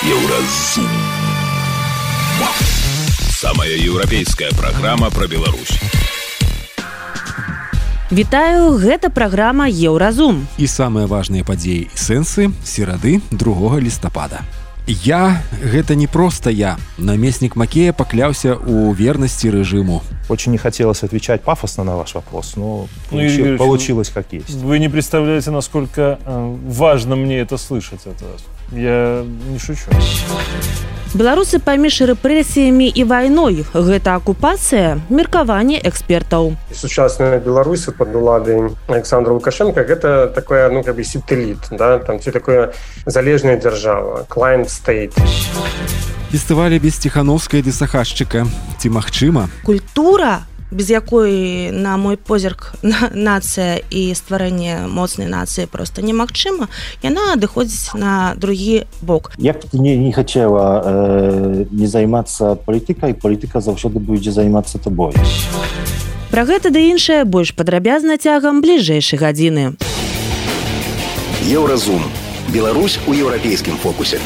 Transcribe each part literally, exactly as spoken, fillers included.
Еўразум. Самая еўрапейская праграма пра Беларусь. Вітаю, гэта праграма Еўразум. І самыя важныя падзеі і сэнсы серады другога лістапада. Я – гэта не просто я. Намеснік Макея пакляўся ў вернасці рэжыму. Очень не хотелось отвечать пафосно на ваш вопрос, но ну, получи, Юрий, получилось как есть. Вы не представляете, насколько важно мне это слышать от вас. Я не шучу. Беларусы паміж рэпрэсіямі і вайной. Гэта акупацыя, меркаванне экспертаў. Сучасная Беларусь под уладай Александра Лукашенко гэта такое, ну, как бы сателлит, да, там все такое залежная держава, client state. Фестывалі без ціхановскай ды сахашчыка. Ці магчыма? Культура, без якой, на мой позірк, нацыя і стварэнне моцнай нацыі просто немагчыма, яна адыходзіць на другі бок. Я б не, не хацела э, не займацца палітыкай, палітыка заўсёды будзе займацца табой. Пра гэта ды іншае больш падрабязна цягам бліжэйшай гадзіны. Еўразум. Беларусь у еўрапейскім фокусе.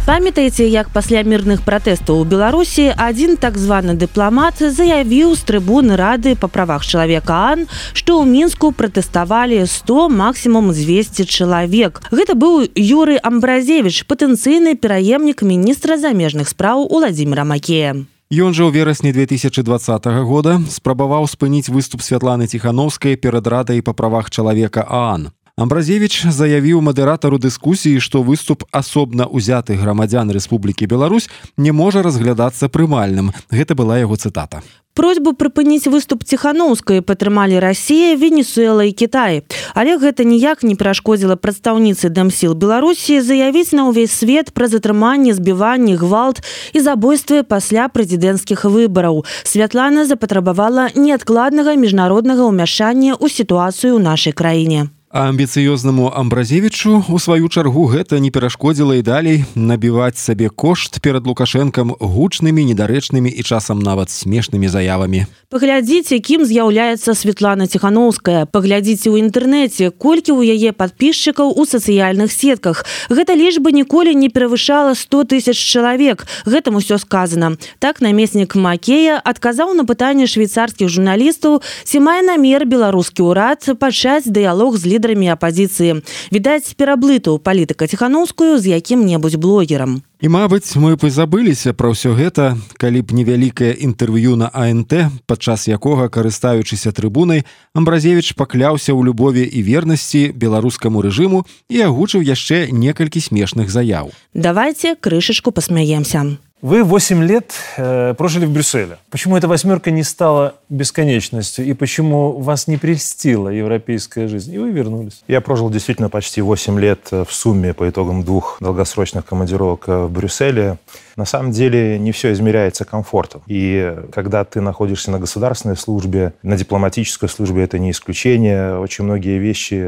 Памятаеце, як пасля мірных пратэстаў у Беларусі адзін так званы дыпламат заявіў з трыбуны Рады па правах чалавека АН, што ў Мінску пратэставалі сто, максімум дзвесце чалавек. Гэта быў Юрый Амбразевіч, патэнцыйны пераемнік міністра замежных спраў Уладзіміра Макея. Ён жа ў верасні две тысячы дваццатага года спрабаваў спыніць выступ Святланы Ціхановскай перад Радай па правах чалавека АН. Амбразевіч заявіў мадэратару дыскусіі, што выступ асобна ўзятых грамадзян Рэспублікі Беларусь не можа разглядацца прымальным. Гэта была яго цытата. Просьбу прыпыніць выступ Ціхановскай падтрымалі Расія, Венесуэла і Кітай. Але гэта ніяк не перашкодзіла прадстаўніцы Дэмсіл Беларусі заявіць на ўвесь свет пра затрыманне, збіванне, гвалт і забойствы пасля прэзідэнцкіх выбараў. Святлана запатрабавала неадкладнага міжнароднага ўмяшання ў сітуацыю ў нашай краіне. А амбіцыёзнаму Амбразевічу, у сваю чаргу, гэта не перашкодзіла і далей набіваць сабе кошт перад Лукашэнкам гучнымі, недарэчнымі і часам нават смешнымі заявамі. Паглядзіце, кім з'яўляецца Святлана Ціхановская. Паглядзіце ў інтэрнэце, колькі ў яе падпісчыкаў у сацыяльных сетках. Гэта лічба ніколі не перавышала сто тысяч чалавек. Гэтым усё сказана. Так намеснік Макея адказаў на пытанне швейцарскіх журналістаў, ці мае намер беларускі ўрад пачаць дыялог з лідарамі апазіцыі. Відаць, пераблытаў палітыка Ціхановскую з якім-небудзь блогерам. І, мабыць, мы б забыліся пра ўсё гэта, калі б невялікае інтэрв'ю на АНТ, падчас якога, карыстаючыся трыбунай, Амбразевіч пакляўся ў любові і вернасці беларускаму рэжыму і агучыў яшчэ некалькі смешных заяў. Давайте крышечку посмеемся. Вы восемь лет э, прожили в Брюсселе. Почему эта восьмерка не стала бесконечностью? И почему вас не прельстила европейская жизнь? И вы вернулись. Я прожил действительно почти восемь лет в сумме по итогам двух долгосрочных командировок в Брюсселе. На самом деле не все измеряется комфортом. И когда ты находишься на государственной службе, на дипломатической службе, это не исключение. Очень многие вещи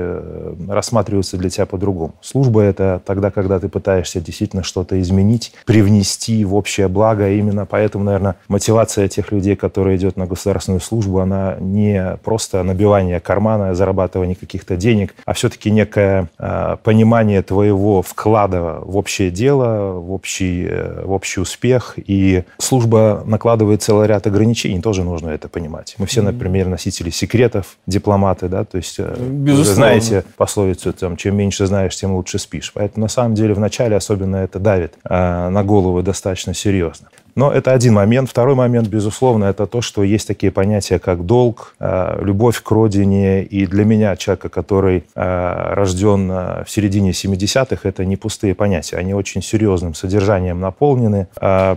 рассматриваются для тебя по-другому. Служба — это тогда, когда ты пытаешься действительно что-то изменить, привнести в общее благо. Именно поэтому, наверное, мотивация тех людей, которые идут на государственную службу, она не просто набивание кармана, зарабатывание каких-то денег, а все-таки некое э, понимание твоего вклада в общее дело, в общий, э, в общий успех. И служба накладывает целый ряд ограничений, тоже нужно это понимать. Мы все, например, носители секретов, дипломаты, да, то есть вы знаете пословицу, там, чем меньше знаешь, тем лучше спишь. Поэтому на самом деле вначале особенно это давит э, на голову достаточно серьезно. Но это один момент. Второй момент, безусловно, это то, что есть такие понятия, как долг, любовь к родине. И для меня, человека, который рожден в середине семидесятых, это не пустые понятия. Они очень серьезным содержанием наполнены.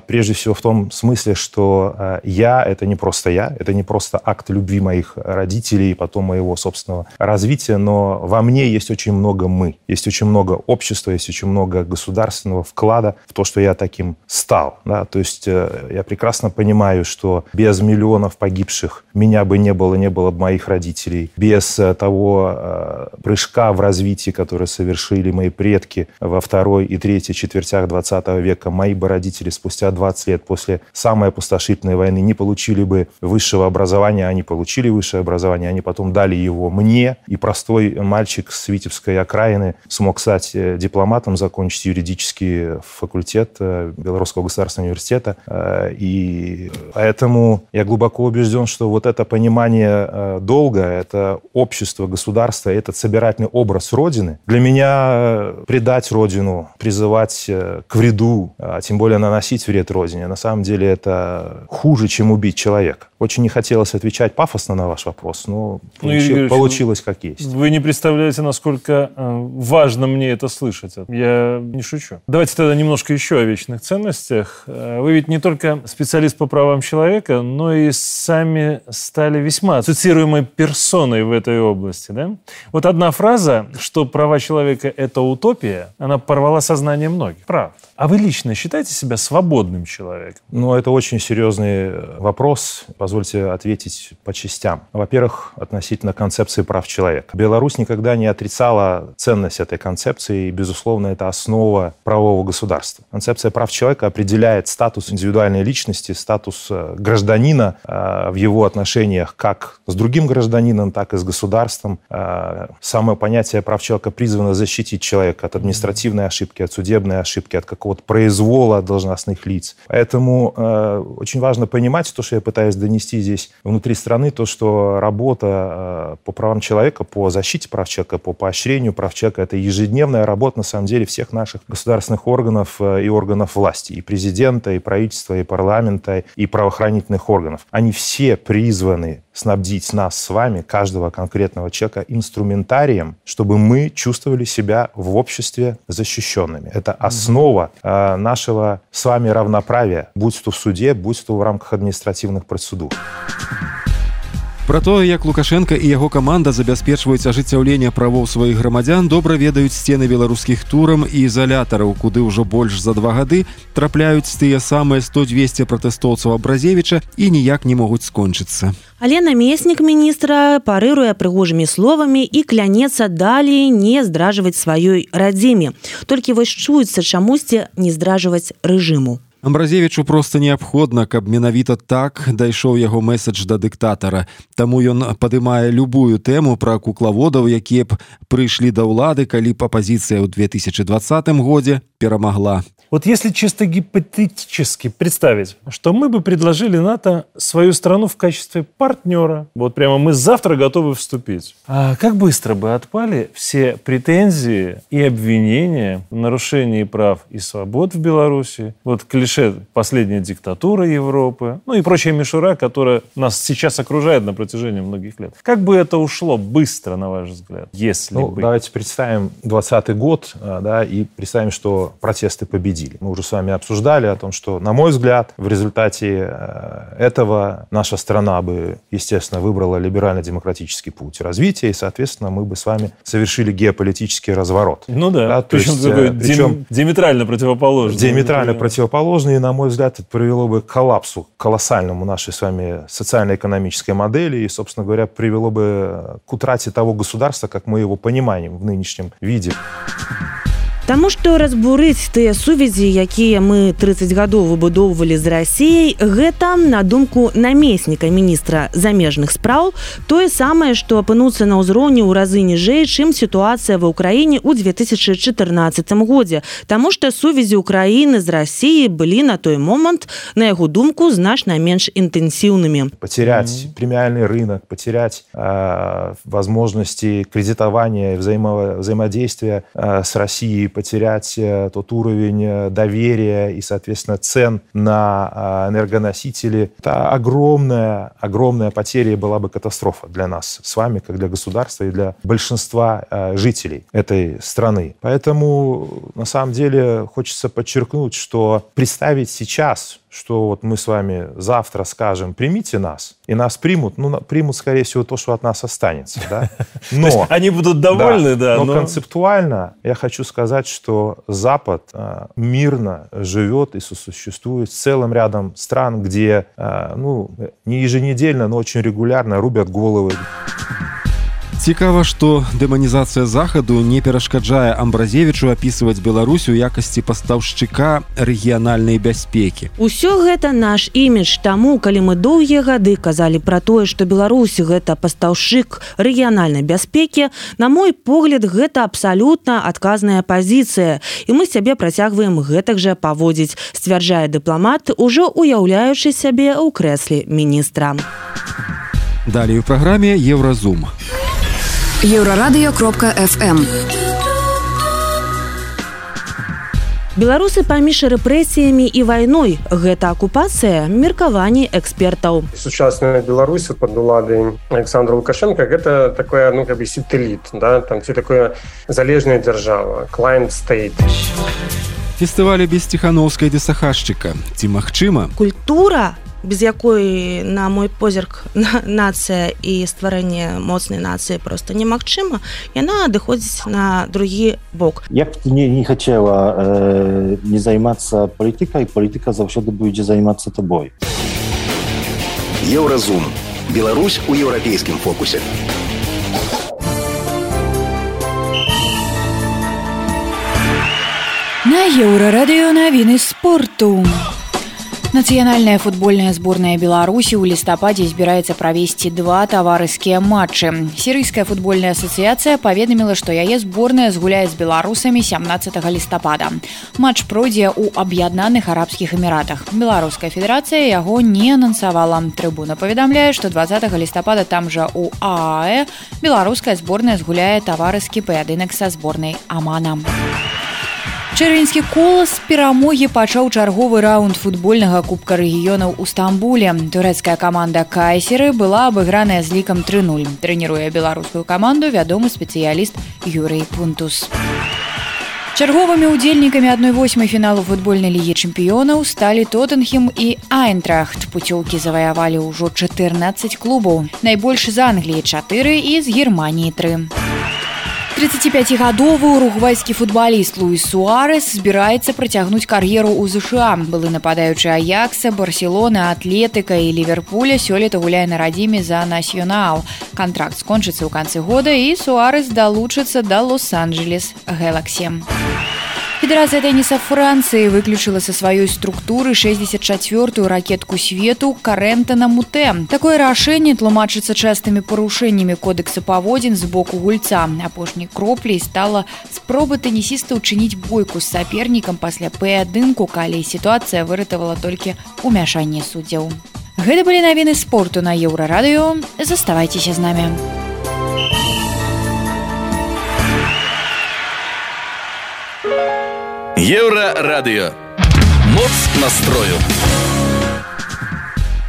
Прежде всего в том смысле, что я — это не просто я, это не просто акт любви моих родителей и потом моего собственного развития, но во мне есть очень много «мы». Есть очень много общества, есть очень много государственного вклада в то, что я таким стал. Да? То есть есть я прекрасно понимаю, что без миллионов погибших меня бы не было, не было бы моих родителей. Без того прыжка в развитии, который совершили мои предки во второй и третьей четвертях двадцатого века, мои бы родители спустя двадцать лет после самой опустошительной войны не получили бы высшего образования. Они получили высшее образование, они потом дали его мне. И простой мальчик с Витебской окраины смог стать дипломатом, закончить юридический факультет Белорусского государственного университета. И поэтому я глубоко убежден, что вот это понимание долга, это общество, государство, этот собирательный образ Родины, для меня предать Родину, призывать к вреду, а тем более наносить вред Родине, на самом деле это хуже, чем убить человека. Очень не хотелось отвечать пафосно на ваш вопрос, но ну, получи, Юрий получилось как есть. Вы не представляете, насколько важно мне это слышать. Я не шучу. Давайте тогда немножко еще о вечных ценностях. Вы ведь не только специалист по правам человека, но и сами стали весьма цитируемой персоной в этой области. Да? Вот одна фраза, что права человека – это утопия, она порвала сознание многих. Правда. А вы лично считаете себя свободным человеком? Ну, это очень серьезный вопрос. Позвольте ответить по частям. Во-первых, относительно концепции прав человека. Беларусь никогда не отрицала ценность этой концепции, и, безусловно, это основа правового государства. Концепция прав человека определяет статус индивидуальной личности, статус гражданина в его отношениях как с другим гражданином, так и с государством. Самое понятие прав человека призвано защитить человека от административной ошибки, от судебной ошибки, от какого-то произвола должностных лиц. Поэтому э, очень важно понимать то, что я пытаюсь донести здесь внутри страны, то, что работа э, по правам человека, по защите прав человека, по поощрению прав человека, это ежедневная работа, на самом деле, всех наших государственных органов э, и органов власти, и президента, и правительства, и парламента, и правоохранительных органов. Они все призваны снабдить нас с вами, каждого конкретного человека, инструментарием, чтобы мы чувствовали себя в обществе защищенными. Это основа э, нашего с вами равноправия, будь то в суде, будь то в рамках административных процедур. Пра тое, як Лукашенко і яго каманда забяспечваюць ажыццяўленне правоў сваіх грамадзян, добра ведаюць сцены беларускіх турам і ізалятараў, куды ўжо больш за два гады трапляюць тыя самыя сто-двесце пратэстоўцаў Абразевіча і ніяк не могуць скончыцца. Але намеснік міністра парыруе прыгожымі словамі і клянецца далей не здражваць сваёй радзіме. Толькі вось чуецца чамусьці не здражваць рэжыму. Абразевічу проста неабходна, каб менавіта так дайшоў яго мэсадж да дыктатара. Таму ён падымае любую тэму пра куклаводаў, якія б прыйшлі да ўлады, калі б апазіцыя ў две тысячи двадцатым годзе перамагла. Вот если чисто гипотетически представить, что мы бы предложили НАТО свою страну в качестве партнера, вот прямо мы завтра готовы вступить, а как быстро бы отпали все претензии и обвинения в нарушении прав и свобод в Беларуси, вот клише «последняя диктатура Европы», ну и прочая мишура, которая нас сейчас окружает на протяжении многих лет. Как бы это ушло быстро, на ваш взгляд, если ну, бы... Давайте представим двадцатый год, да, и представим, что протесты победили. Мы уже с вами обсуждали о том, что, на мой взгляд, в результате этого наша страна бы, естественно, выбрала либерально-демократический путь развития, и, соответственно, мы бы с вами совершили геополитический разворот. Ну да, да причем, есть, такой причем диаметрально противоположный. Диаметрально противоположный, и, на мой взгляд, это привело бы к коллапсу колоссальному нашей с вами социально-экономической модели, и, собственно говоря, привело бы к утрате того государства, как мы его понимаем в нынешнем виде. Таму што разбурыць тыя сувязі, якія мы тридцать гадоў выбудоўвалі з Расіяй, гэта, на думку намесніка міністра замежных спраў, тое самае, што апынуцца на ўзроўні ў разы ніжэй, чым сітуацыя ва ўкраіне ў две тысячи чатырнаццатым годзе. Таму што сувязі ўкраіны з Расіяй былі на той момант, на яго думку, значна менш интенсивными. Потерять mm-hmm. премиальный рынок, потерять э, возможности кредитования, взаимо, взаимодействия э, с Россией, потерять тот уровень доверия и, соответственно, цен на энергоносители. Это огромная, огромная потеря и была бы катастрофа для нас с вами, как для государства и для большинства жителей этой страны. Поэтому, на самом деле, хочется подчеркнуть, что представить сейчас что вот мы с вами завтра скажем «примите нас», и нас примут, ну, примут, скорее всего, то, что от нас останется. Да? Но, они будут довольны, да. да но, но концептуально я хочу сказать, что Запад а, мирно живет и сосуществует с целым рядом стран, где а, ну, не еженедельно, но очень регулярно рубят головы. Цікава, што дэманізацыя захаду не перашкаджае Амбразевічу апісваць Беларусь у якасці пастаўшчыка рэгіянальнай бяспекі. Усё гэта наш імідж, таму, калі мы доўгія гады казалі пра тое, што Беларусь гэта пастаўшчык рэгіянальнай бяспекі, на мой погляд, гэта абсалютна адказная пазіцыя, і мы сябе працягваем гэтак жа паводзіць, сцвярджае дыпламат, ужо уяўляючы сябе ў крэсле міністра. Далей у праграме Еўразум. Еўрарадыё кропка эф эм. Беларусы паміж рэпрэсіямі і вайной. Гэта акупацыя, меркаванні экспертаў. Сучасная Беларусь под уладай Александра Лукашенко гэта такое, ну, как бы сателлит, да, там все такое залежная держава, client state. Фестывалі без Ціхановскай ды Сахашчыка. Ці магчыма? Культура, без якой, на мой позірк, нацыя і стварэнне моцнай нацыі просто немагчыма, яна адыходзіць на другі бок. Як б ты не, не хацела э, не займацца палітыкай, палітыка заўсёды будзе займацца табой. Еўразум. Беларусь у еўрапейскім фокусе. На Еўрарадыё навіны спорту. Нацыянальная футбольная зборная Беларусі ў лістападзе збіраецца правесці два таварыскія матчы. Сірыйская футбольная асацыяцыя паведаміла, што яе зборная згуляе з беларусамі сямнаццатага лістапада. Матч пройдзе ў Аб'яднаных Арабскіх Эміратах. Беларуская федэрацыя яго не анансавала. Трыбуна паведамляе, што дваццатага лістапада там жа ў ААЭ беларуская зборная згуляе таварыскі паядынак са зборнай Амана. Чэрвеньскі колас перамогі пачаў чарговы раунд футбольнага кубка рэгіёнаў у Стамбуле. Турэцкая каманда Кайсеры была абыграная з лікам тры нуль. Трэніруе беларускую каманду вядомы спецыяліст Юрый Пунтус. Чарговымі ўдзельнікамі адной восьмай фіналу футбольнай лігі чэмпіёнаў сталі Тоттенхэм і Айнтрахт. Пуцёўкі заваявалі ўжо чатырнаццаць клубаў. Найбольш з Англіі чатыры і з Германіі тры. тридцатипятигадовы уругвайскі футбаліст Луіс Суарес збіраецца працягнуць кар'еру ў ЗША. Былы нападаючы Аякса, Барселоны, Атлетыка і Ліверпуля сёлета гуляе на радзіме за Насьёнал. Кантракт скончыцца ў канцы года і Суарес далучыцца да Лос-Анджелес Гэлаксі. Федэрацыя тэніса Францыі выключыла са сваёй структуры шэсцьдзесят чацвёртую ракетку свету Карэнтана Мутэ. Такое рашэнне тлумачыцца частымі парушэннямі кодекса паводзін з боку гульца. Апошняй кропляй стала спроба тэнісіста ўчыніць бойку з сапернікам пасля паядынку, калі сітуацыя выратавала толькі ўмяшанне суддзяў. Гэта былі навіны спорту на Еўрарадыё. Заставайцеся з намі. Еўрарадыё. Моц настрою.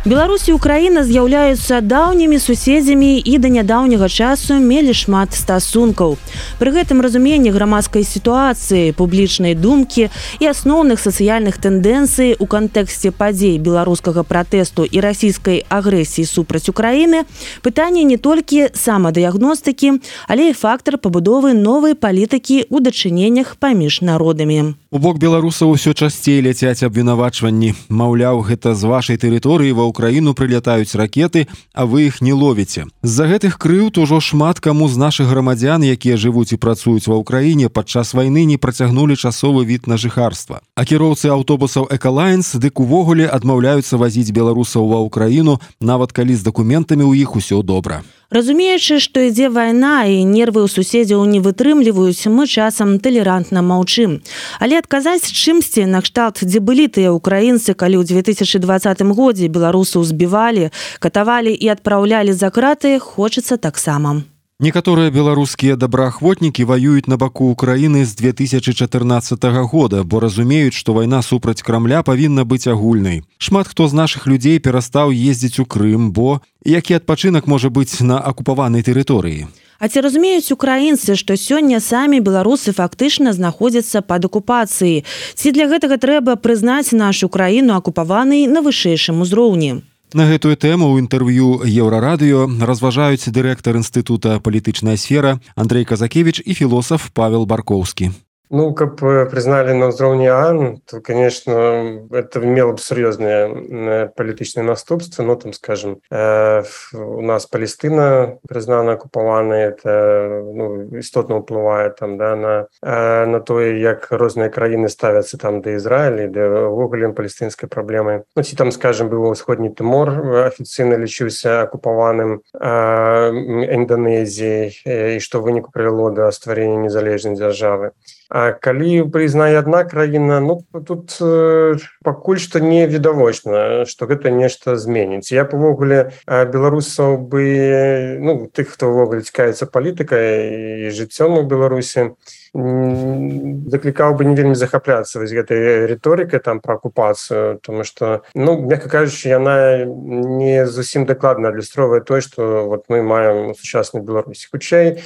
Беларусь і Украіна з'яўляюцца даўнімі суседзямі і да нядаўняга часу мелі шмат стасункаў. Пры гэтым разуменні грамадскай сітуацыі, публічнай думкі і асноўных сацыяльных тэндэнцый у кантэксце падзей беларускага пратэсту і расійскай агрэсіі супраць Украіны пытанне не толькі самадыягностыкі, але і фактар пабудовы новай палітыкі ў дачыненнях паміж народамі. У бок беларусаў усё часцей ляцяць абвінавачванні. Маўляў, гэта з вашай тэрыторыі ва Украіну прылятаюць ракеты, а вы іх не ловіце. З-за гэтых крыўд ужо шмат каму з нашых грамадзян, якія жывуць і працуюць ва Ўкраіне, падчас вайны не працягнулі часовы від на жыхарства. А кіроўцы аўтобусаў «Экалайнс» дык увогуле адмаўляюцца вазіць беларусаў ва Ўкраіну, нават калі з дакументамі ў іх усё добра. Разумеючы, што ідзе вайна і нервы ў суседзяў не вытрымліваюць, мы часам талерантна маўчым. Але адказаць чымсьці накшталт, дзе былі тыя ўкраінцы, калі ў две тысячы двадцатым годзе беларусаў збівалі, катавалі і адпраўлялі за краты, хочацца таксама. Некаторыя беларускія добраахвотнікі ваююць на баку Украіны з две тысячы чатырнаццатага года, бо разумеюць, што вайна супраць Крамля павінна быць агульнай. Шмат хто з нашых людзей перастаў ездзіць у Крым, бо які адпачынак можа быць на акупаванай тэрыторыі? А ці разумеюць украінцы, што сёння самі беларусы фактычна знаходзяцца пад акупацыяй? Ці для гэтага трэба прызнаць нашу краіну акупаванай на вышэйшым узроўні? На гэтую тэму ў інтэрв'ю Еўрарадыё разважаюць дырэктар інстытута «Палітычная сфера» Андрей Казакевич і філосаф Павел Баркоўскі. Ну, как признали на уровне ООН, то, конечно, это имело бы серьезные политические наступства. Ну, там, скажем, э, у нас Палестина признана оккупованной, это ну, істотно впливає там, да, на, э, на то, як різні країни ставляться там до Ізраїля, до вуглем палестинської проблеми. Ну, ці там, скажем, був Сходній Тимор, офіційно лічився оккупованим э, Індонезією, і що винику привело до створення незалежної держави. А калі прызнае адна краіна, ну тут э, пакуль што не відавочна, што гэта нешта зменіць. Я павогуле беларусаў бы, ну тых, хто ўвогуле цікавіцца палітыкай і жыццём у Беларусі, заклікаў бы не вельмі захапляцца вось гэтай рыторыкай там пра акупацыю, тому што, ну, мякка кажучы, яна не зусім дакладна адлюстроўвае тое, што вот мы маем у сучаснай Беларусі. Хутчэй,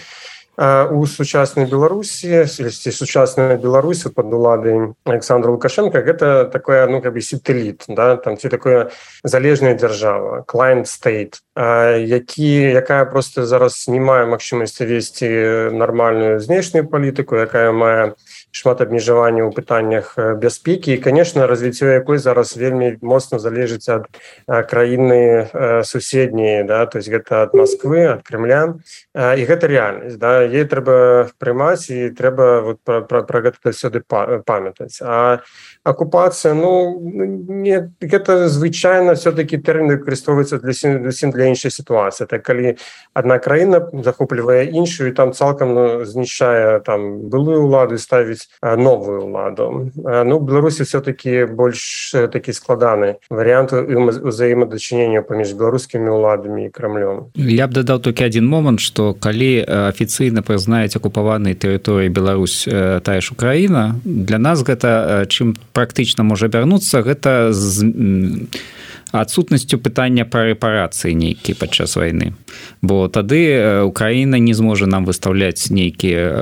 у сучаснай Беларусі, сучасная Беларусь пад уладай Александра Лукашенка, гэта такое, ну, как бы сателіт, да, там ці такое залежная дзяржава, client state, які, якая просто зараз не мае магчымасці весці нармальную знешнюю палітыку, якая мае шмат абмежаванняў у пытаннях бяспекі і, конечно, развіццё якой зараз вельмі моцна залежыць ад краіны суседняй, да, то есть гэта ад Москвы, ад Кремля, і гэта рэальнасць, да, ей трэба прымаць і трэба вот пра, пра, пра гэта сюды памятаць. А акупацыя, ну, не, гэта звычайна все-таки тэрмін выкарыстоўваецца для зусім для іншай сітуацыі. Так калі адна краіна захоплівае іншую і там цалкам ну, знішчае там былую ўладу, ставіць новую ўладу. Ну, в Беларусі все-таки больш такі складаны варыянт узаемадачынення паміж беларускімі ўладамі і Крамлём. Я б дадаў толькі адзін момант, што калі афіцыйна прызнаюць акупаванай тэрыторыі Беларусь тая ж Украіна, для нас гэта чым практычна можа абярнуцца, гэта з адсутнасцю пытання пра рэпарацыі нейкія падчас вайны. Бо тады Украіна не зможа нам выстаўляць нейкія,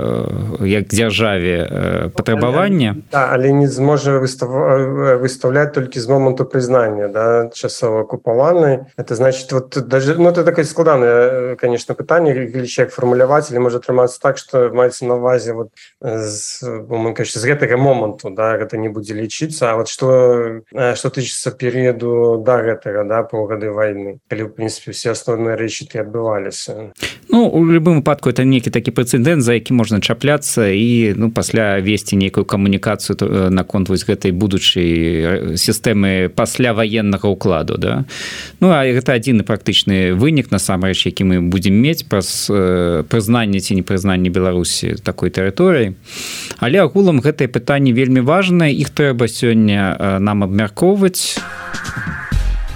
як дзяржаве, патрабавання. Да, але не зможа выстаўляць толькі з моманту прызнання, да, часова акупаванай. Это значит, вот даже, ну, это такое складанае, конечно, пытанне, як фармуляваць, или можа атрымацца так, што маецца на ўвазе вот з, з гэтага моманту, да, гэта не будзе лічыцца. А вот што, што тычыцца перыяду, да, гэтага, да, паўгады вайны, калі, в принципе, все асноўныя рэчы ты адбываліся. Ну, у любым выпадку это нейкі такі прэцэдэнт, за які можна чапляцца і, ну, пасля весці нейкую камунікацыю наконт вось гэтай будучай сістэмы пасля ваеннага ўкладу, да. Ну, а гэта адзіны практычны вынік, насамрэч, які мы будзем мець праз прызнанне ці непрызнанне Беларусі такой тэрыторыі. Але агулам гэтае пытанне вельмі важнае, іх трэба сёння нам абмяркоўваць.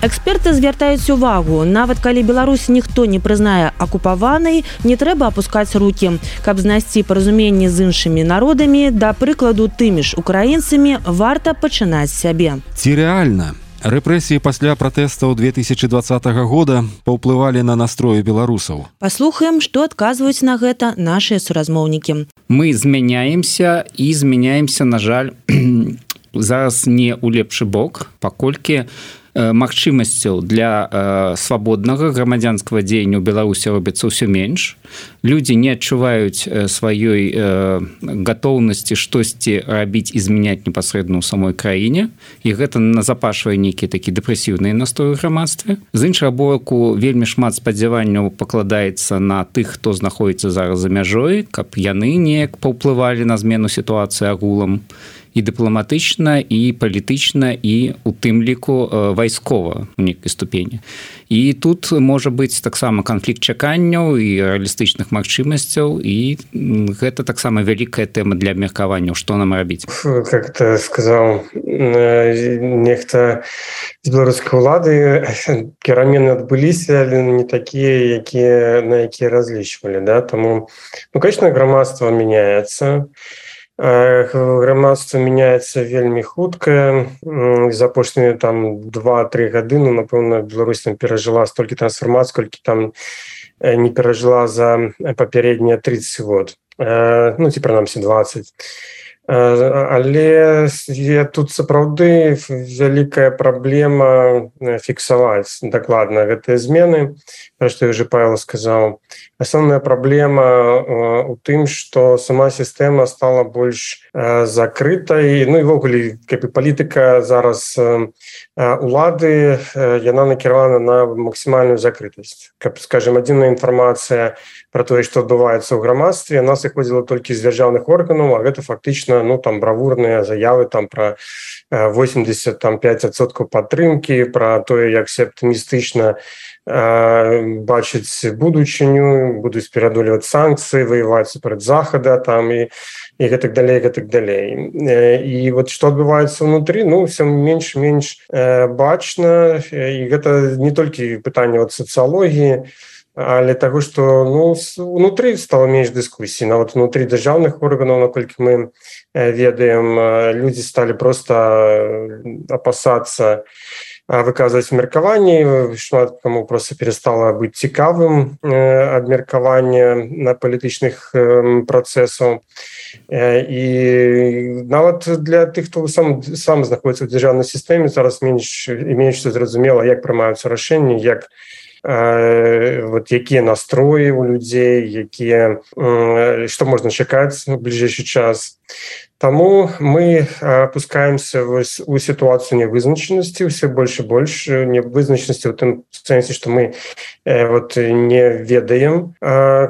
Эксперты звяртаюць увагу, нават калі Беларусь ніхто не прызнае акупаванай, не трэба апускаць рукі. Каб знайсці паразуменне з іншымі народамі, да прыкладу тымі ж украінцамі, варта пачынаць з сябе. Ці рэальна? Рэпрэсіі пасля пратэстаў две тысячи двадцатага года паўплывалі на настроі беларусаў. Паслухаем, што адказваюць на гэта нашыя суразмоўнікі. Мы змяняемся і змяняемся, на жаль, зараз не ў лепшы бок, паколькі магчымасцяў для э, свабоднага грамадзянскага дзеяння ў Беларусі робіцца ўсё менш. Людзі не адчуваюць э, сваёй э, гатоўнасці штосьці рабіць і змяняць непасрэдна ў самой краіне, і гэта назапашвае нейкія такі дэпрэсіўныя настроі ў грамадстве. З іншага боку, вельмі шмат спадзяванняў пакладаецца на тых, хто знаходзіцца зараз за мяжой, каб яны неяк паўплывалі на змену сітуацыі агулам, і дыпламатычна, і палітычна, і у тым ліку вайскова у нейкай ступені. І тут можа быць таксама канфлікт чаканняў і рэалістычных магчымасцяў, і гэта таксама вялікая тэма для абмеркавання, што нам рабіць. Как ты сказаў, нехта з беларускай улады, перамены адбыліся, але не такія, якія, на якія разлічвалі, да? Таму, ну, конечно, грамадства мяняецца. Грамадства мяняецца вельмі хутка. За апошнія там два-тры гады, ну, напэўна, Беларусь там перажыла столькі трансфармацый, колькі там не перажыла за папярэднія тридцать год. Ну, ці прынамсі двадцать. Але тут сапраўды вялікая праблема фіксаваць дакладна гэтыя змены, пра што ўжо Павел сказаў. Асноўная праблема у тым, што сама сістэма стала больш закрытай, ну і ввогуле палітыка зараз улады, яна накіравана на максімальную закрытасць. Каб, скажем, адзіная інфармацыя пра тое, што адбываецца ў грамадстве, яна сыходзіла толькі з дзяржаўных органаў, а гэта фактычна, ну, там бравурныя заявы там пра восемьдесят пять адсоткаў падтрымкі, пра тое, як все аптымістычна бачыць будучыню, будуць пераадольваць санкцыі, ваяваць супраць захада там і і гэтак далей, гэтак далей. І вот што адбываецца ўнутры, ну, ўсё менш-менш бачна, і гэта не толькі пытанне от сацыялогіі, але таго, што, ну, унутры стала менш дыскусій. Нават унутры дзяржаўных органаў, наколькі мы ведаем, людзі сталі проста апасацца выказваць меркаванні, шмат каму проста перастала быць цікавым абмеркаванне на палітычных працэсаў. І нават для тых, хто сам, сам знаходзіцца ў дзяржаўнай сістэме, зараз менш і менш зразумела, як прымаюцца рашэнні, як вот якія настроі у людзей, якія, што можна чакаць у бліжэйшы час. Таму мы апускаемся у сітуацыю нявызначанасці, ўсё больш і больш нявызначанасці ў тым сэнсе, што мы вот не ведаем,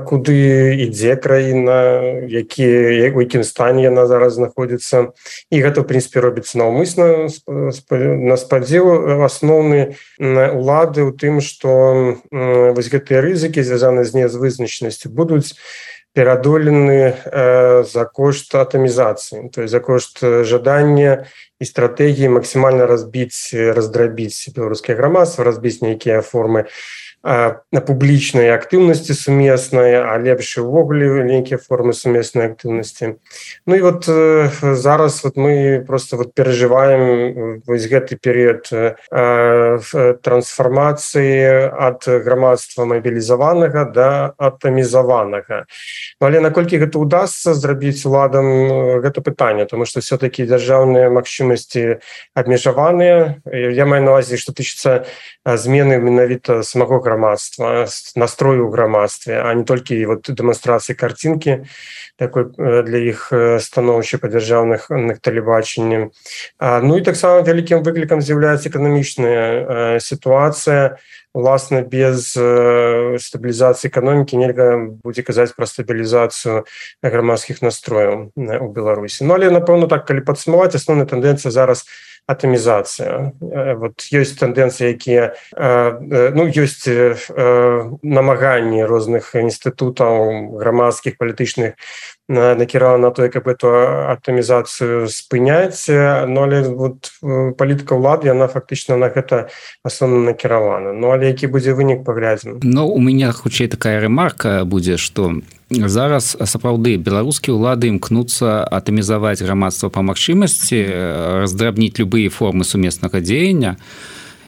куды ідзе краіна, які, у якім стане яна зараз знаходзіцца. І гэта, в прынцыпе, робіцца наўмысна, на спадзеў асноўны улады ў тым, што вось гэтыя рызыкі, звязаныя з нявызначанасцю, будуць пераадолены э, за кошт атамізацыі, то есть за кошт жадання і стратэгіі максімальна разбіць, раздрабіць беларускае грамадства, разбіць нейкія формы э, публічнай актыўнасці сумеснай, а лепш увогуле нейкія формы сумеснай актыўнасці. Ну і вот э, зараз вот мы просто вот перажываем вось гэты перыяд э, трансфармацыі ад грамадства мабілізаванага да атамізаванага. Ну, але наколькі гэта ўдасца зрабіць уладам, гэта пытанне, тому што все-таки дзяржаўныя магчымасці абмежаваныя. Я маю на ўвазе, што тычыцца змены менавіта самого грамадства, настрою ў грамадстве, а не толькі вот дэманстрацыі картинкі такой для іх становішча па дзяржаўных тэлебачанні. Ну і таксама вялікім выклікам з'яўляецца эканамічная сітуацыя. Власне, без стабілізацыі эканомікі нельга будзе казаць пра стабілізацыю грамадскіх настрояў у Беларусі. Ну, але, напэўна, так, калі падсумаваць, асноўная тэндэнцыя зараз атамізацыя. Вот ёсць тэндэнцыі, якія, ну, ёсць намаганні розных інстытутаў грамадскіх, палітычных накіравана на тое, каб эту атамізацыю спыняць, но але вот палітыка ўлады, яна фактычна на гэта асноўна накіравана. Ну, але які будзе вынік, паглядзім. Ну, у мяне хутчэй такая ремарка будзе, што зараз сапраўды беларускія ўлады імкнуцца атамізаваць грамадства па магчымасці, раздрабніць любыя формы сумеснага дзеяння.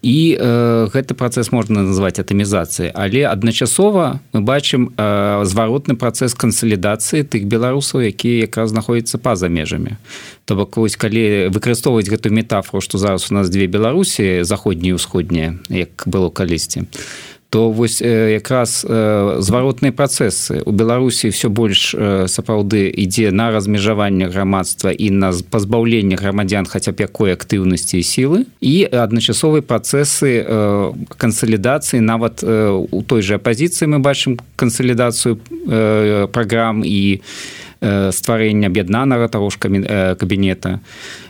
І э, гэты працэс можна назваць атамізацыяй, але адначасова мы бачым э, зваротны працэс кансалідацыі тых беларусаў, якія якраз знаходзяцца па-за межамі. То бок, калі выкарыстоўваць гэту метафору, што зараз у нас дзве Беларусі, заходнія і ўсходнія, як было калісьці, то вось якраз зваротныя працэсы. У Беларусі ўсё больш сапраўды ідзе на размежаванне грамадства і на пазбаўленне грамадзян хаця б якой актыўнасці і сілы, і адначасовыя працэсы кансалідацыі. Нават у той жа апазіцыі мы бачым кансалідацыю праграм і стварэння аб'яднанага таго ж кабінета.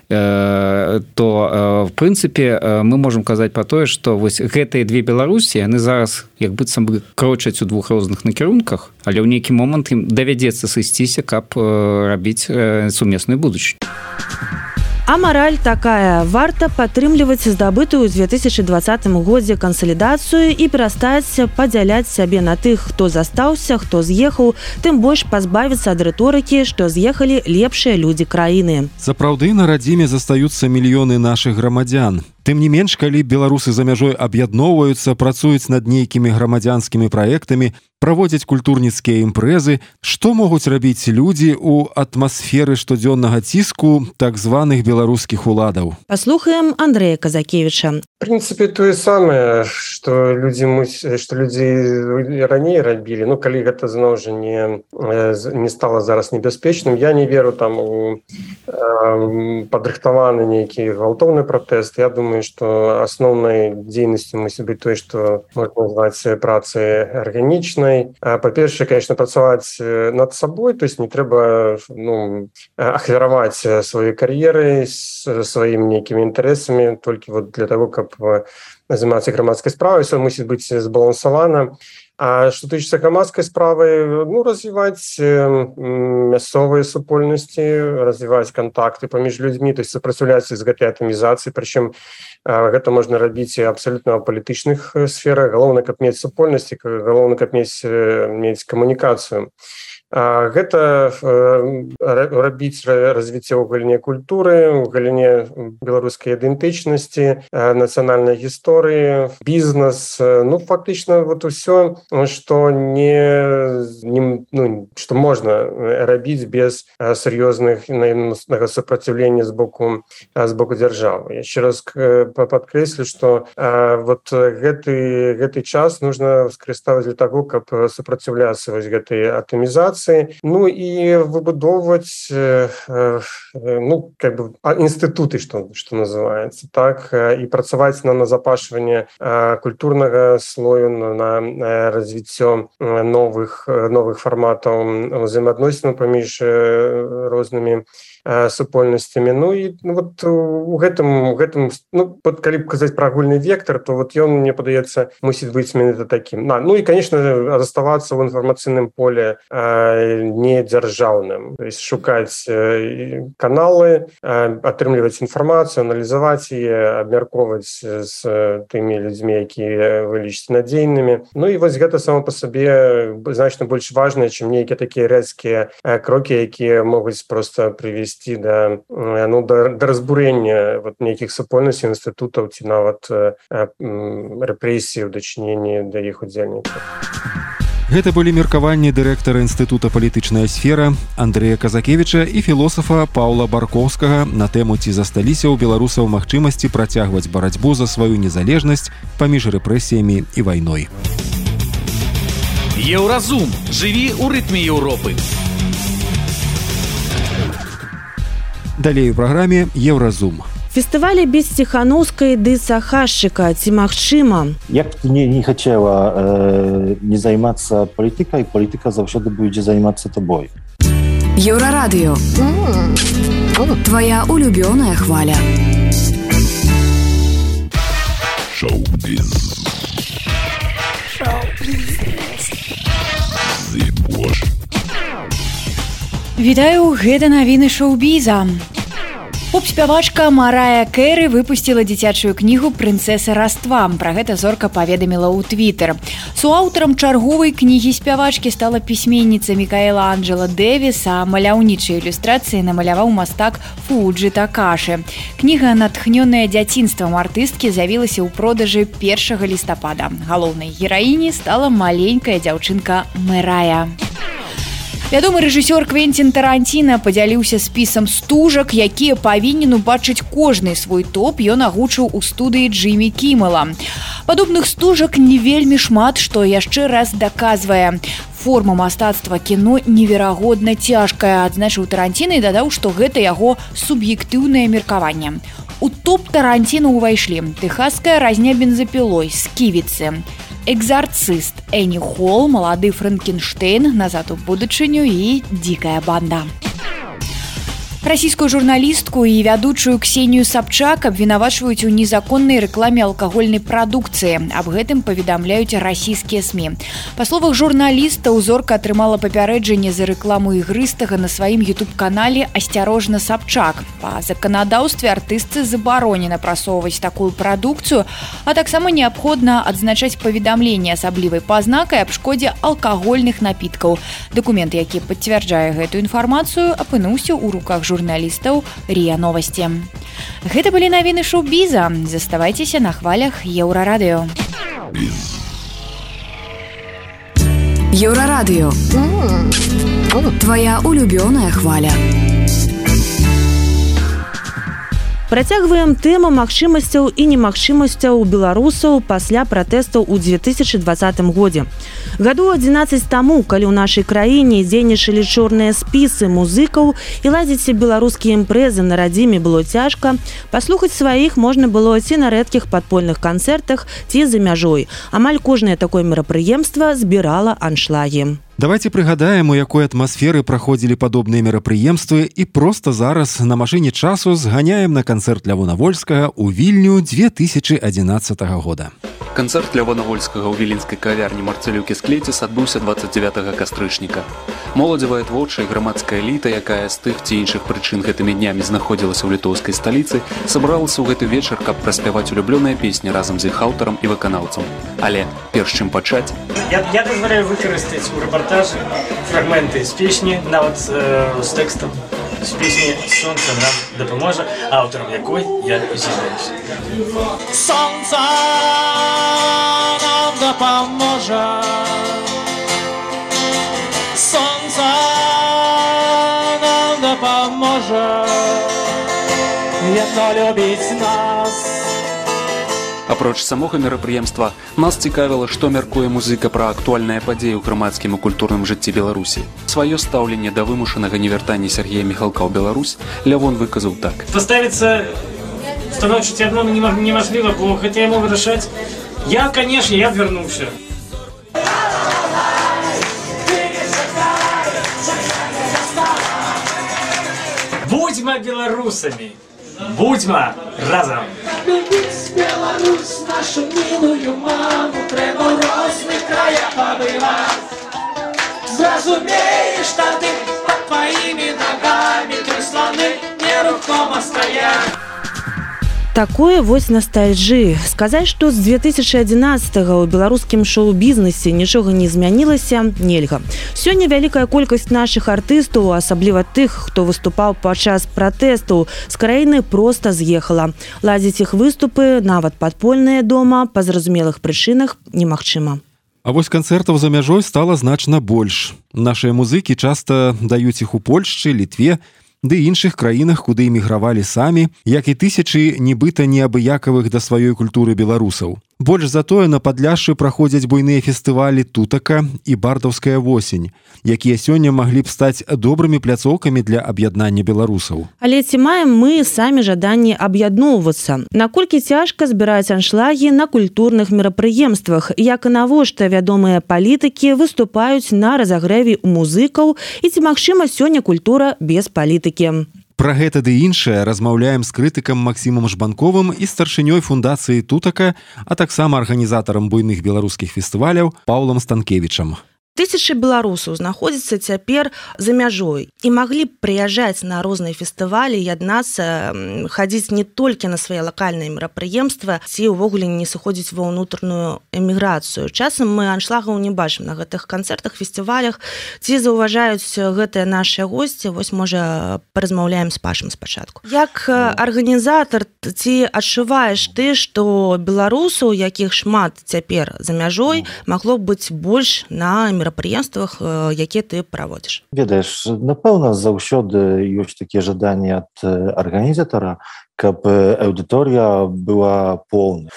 То в прынцыпе мы можам казаць пра тое, што вось гэтыя две Беларусі, яны зараз як быццам бы крочаць у двух розных накірунках, але ў нейкі момант ім давядзецца сысціся, каб рабіць сумесную будучыню. А мораль такая: варта падтрымліваць здабытую ў две тысячи двадцатым годзе кансалідацыю і перастаць падзяляць сябе на тых, хто застаўся, хто з'ехаў, тым больш пазбавіцца ад рыторыкі, што з'ехалі лепшыя людзі краіны. Сапраўды на радзіме застаюцца мільёны нашых грамадзян. Тым не менш, калі беларусы за мяжой аб'ядноўваюцца, працуюць над нейкімі грамадзянскімі праектамі, праводзяць культурніцкія імпрэзы, што могуць рабіць людзі ў атмасферы штодзённага ціску так званых беларускіх уладаў? Паслухаем Андрэя Казакевіча. В принципе, тое самае, што людзі мусяць, што людзі раней рабілі. Ну, калі гэта зноў жа не, не стала зараз небяспечным, я не веру там у э, падрыхтаваны нейкі гвалтоўны пратэст. Я думаю, што асноўнай дзейнасцю мусіць быць тое, што можна назваць працай арганічнай. Па-першае, конечно, працаваць над сабой, то есть не трэба ну, ахвяраваць свае кар'еры сваімі нейкімі інтарэсамі толькі вот для того, каб займацца грамадскай справай, все мусіць быць збалансавана. А што тычыцца грамадскай справы, ну, развіваць мясцовыя супольнасці, развіваць кантакты паміж людзьмі, то есть супраціўляцца з гэтай атамізацыяй, прычым гэта можна рабіць абсалютна ў палітычных сферах. Галоўна, каб мець супольнасці, галоўна, каб мець, мець камунікацыю. Гэта рабіць развіццё ў галіне культуры, у галіне беларускай ідэнтычнасці, нацыянальнай гісторыі, бізнес. Ну, фактычна, вот усё, што не, не ну, што можна рабіць без сур'ёзных супраціўлення з боку з боку дзяржавы. Яшчэ раз падкрэслю, што вот гэты гэты час нужно скарыставаць для таго, каб супраціўляцца вось гэтай атамізацыі. Ну і выбудоўваць ну, как бы, інстытуты, што, што называецца, так, і працаваць на назапашванне культурнага слою, на развіццё новых, новых фарматаў узаемаадносінаў паміж рознымі супольнасцямі. Ну і ну, вот у гэтым, у гэтым ну, вот, калі б казаць пра агульны вектор, то вот ён, мне падаецца, мусіць быць менавіта такім. А, ну і, конечно, заставацца ў інфармацыйным поле не дзяржаўным, то есть шукаць каналы, атрымліваць інфармацыю, аналізаваць яе, абмяркоўваць з тымі людзьмі, якія вы лічыце надзейнымі. Ну і вось гэта само па сабе значна больш важнае, чым нейкія такія рэзкія крокі, якія могуць проста прывесці да, ну, да, да разбурэння вот нейкіх супольнасцей, інстытутаў ці нават рэпрэсій у дачыненні да іх удзельнікаў. Гэта былі меркаванні дырэктара Інстытута палітычная сфера Андрэя Казакевіча і філосафа Паўла Баркоўскага на тэму, ці засталіся ў беларусаў магчымасці працягваць барацьбу за сваю незалежнасць паміж рэпрэсіямі і вайной. Еўразум. Жыві ў рытме Еўропы. Далей у праграме Еўразум. Фестывалі без Ціханаўскай ды Сахашчыка, ці магчыма? Як б ты не, не хацела э, не займацца палітыкай, палітыка заўсёды будзе займацца табой. Еўрарадыё. Твоя улюбёная хваля. Шоу-біз. Шоу-біз. Вітаю, гэта навіны шоу-біза. Поп-спявачка Марая Кэры выпусціла дзіцячую кнігу «Прынцэса раства». Пра гэта зорка паведаміла ў Твіттер. Суаўтарам чарговай кнігі спявачкі стала пісьменніца Мікаэла Анджела Дэвіс, а маляўнічыя ілюстрацыі намаляваў мастак Фуджі Такаши. Кніга, натхнёная дзяцінствам артысткі, з'явілася ў продажы першага лістапада. Галоўнай гераіняй стала маленькая дзяўчынка Мэрая. Вядомы рэжысёр Квенцін Таранціна падзяліўся спісам стужак, якія павінен убачыць кожны свой топ, ён агучыў у студыі Джиммі Кіммела. Падобных стужак не вельмі шмат, што яшчэ раз даказвае. Форма мастацтва кіно неверагодна цяжкая, адзначыў Таранціна і дадаў, што гэта яго суб'ектыўнае меркаванне. У топ Таранціна ўвайшлі «Тэхасская разня бензапілой», «Сківіцы», «Экзарцыст», «Энні Холл», «Малады Франкенштейн», «Назад у будучыню» і «Дзікая банда». Расійскую журналістку і вядучую Ксенію Сабчак абвінавачваюць у незаконнай рэкламе алкагольнай прадукцыі. Аб гэтым паведамляюць расійскія СМІ. Па словах журналіста, зорка атрымала папярэджанне за рэкламу ігрыстага на сваім ютуб-канале «Асцярожна, Сабчак». Па заканадаўстве артыстцы забаронена прасоўваць такую прадукцыю, а таксама неабходна адзначаць паведамленне асаблівай пазнакай аб шкодзе алкагольных напіткаў. Дакумент, які пацвярджае гэтую інфармацыю, апынуўся ў руках журналістаў. журналістаў РИА Новости. Гэта былі навіны шоу-біза. Заставайцеся на хвалях Еўрарадыё. Еўрарадыё. Твоя улюбёная хваля. Працягваем тэму магчымасцяў і немагчымасцяў беларусаў пасля пратэстаў у две тысячи двадцатым годзе. Гадоў адзінаццаць таму, калі ў нашай краіне дзейнічалі чорныя спісы музыкаў і ладзіць беларускія імпрэзы на радзіме было цяжка, паслухаць сваіх можна было ці на рэдкіх падпольных канцэртах, ці за мяжой. Амаль кожнае такое мерапрыемства збірала аншлагі. Давайте прыгадаем, у якой атмасферы праходзілі падобныя мерапрыемствы і проста зараз на машыне часу зганяем на канцэрт Лявона Вольскага ў Вільню две тысячи адзінаццатага года. Канцэрт Лявона Вольскага ў віленскай кавярні Марцэлюкі Склеціс адбыўся двадцать девятого кастрычніка. Моладзевая творчая і грамадская эліта, якая з тых ці іншых прычын гэтымі днямі знаходзілася ў літоўскай сталіцы, сабралася ў гэты вечар, каб праспяваць улюблёныя песні разам з іх аўтарам і выканаўцам. Але перш чым пачаць, я, я дазваляю выкарыстаць у рэпартажы фрагменты з песні, нават э, з тэкстам з песні «Сонца нам дапаможа», аўтарам якой я з'яўляюся. Сонца нам дапаможа, сонца нам дапаможа, яно любіць нас. Апроч самога мерапрыемства, нас цікавіла, што мяркуе музыка пра актуальныя падзеі ў грамадскім і культурным жыцці Беларусі. Сваё стаўленне да вымушанага невяртання Сергея Міхалка ў Беларусь Лявон выказаў так. Паставіцца становіць адно немажліва, бо гэта яму вырашаць. Я, канешне, я б вярнуўся. Будзьма беларусамі! Будьма разом! Любіць Беларусь, нашу милую маму, трэба ў розных краях пабываць. Зразумееш, тады пад тваімі нагамі тры сланы нерухома стаяць. Такое вось настальжы. Сказаць, што з две тысячи адзінаццатага ў беларускім шоу-бізнесе нічога не змянілася, нельга. Сёння вялікая колькасць нашых артыстаў, асабліва тых, хто выступаў падчас пратэстаў, з краіны проста з'ехала. Ладзіць іх выступы, нават падпольныя дома, па зразумелых прычынах немагчыма. А вось канцэртаў за мяжой стала значна больш. Нашыя музыкі часта даюць іх у Польшчы, Літве, ды іншых краінах, куды эмігравалі самі, як і тысячы нібыта неабыякавых да сваёй культуры беларусаў. Больш за тое на Падляшшы праходзяць буйныя фестывалі «Тутака» і «Бардаўская восень», якія сёння маглі б стаць добрымі пляцоўкамі для аб'яднання беларусаў. Але ці маем мы самі жаданне аб'ядноўвацца? Наколькі цяжка збіраць аншлагі на культурных мерапрыемствах, як і навошта вядомыя палітыкі выступаюць на разагрэве ў музыкаў, і ці магчыма сёння культура без палітыкі? Пра гэта ды іншае размаўляем з крытыкам Максімам Жбанковым і старшынёй фундацыі «Тутака», а таксама арганізатарам буйных беларускіх фестываляў Паўлам Станкевічам. Тысячы беларусаў знаходзяцца цяпер за мяжой і маглі б прыязджаць на розныя фестывалі, яднацца, хадзіць не толькі на свае лакальныя мерапрыемствы, ці ўвогуле не сыходзіць ва ўнутраную эміграцыю. Часам мы аншлагаў не бачым на гэтых канцэртах, фестывалях, ці заўважаюць гэтыя нашыя госці. Вось, можа, паразмаўляем з Пашам спачатку. Як арганізатар, ці адчуваеш ты, што беларусаў, якіх шмат цяпер за мяжой, магло б быць больш на мерапрыемствах, мерапрыемствах, якія ты праводзіш? Ведаеш, напэўна, заўсёды ёсць такія жаданні ад арганізатара, каб аўдыторыя была поўная.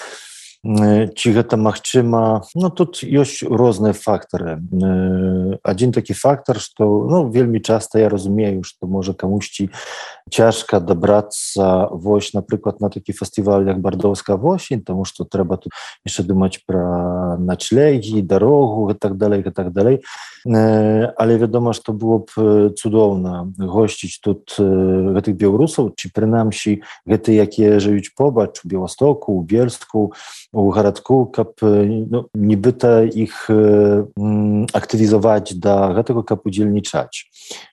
ці гэта магчыма, ну тут ёсць розныя фактары. Адзін такі фактар, што ну вельмі часта я разумею, што можа камусьці цяжка дабрацца вось, напрыклад, на такі фестываль як бардоўская восень, таму што трэба тут яшчэ думаць пра начлегі, дарогу і так далей, і так далей. Але вядома, што было б цудоўна госціць тут гэтых беларусаў, ці прынамсі гэты, якія жывуць побач у Беластоку, у Бельску, у гарадку, каб ну, нібыта іх актывізаваць да гэтага, каб удзельнічаць.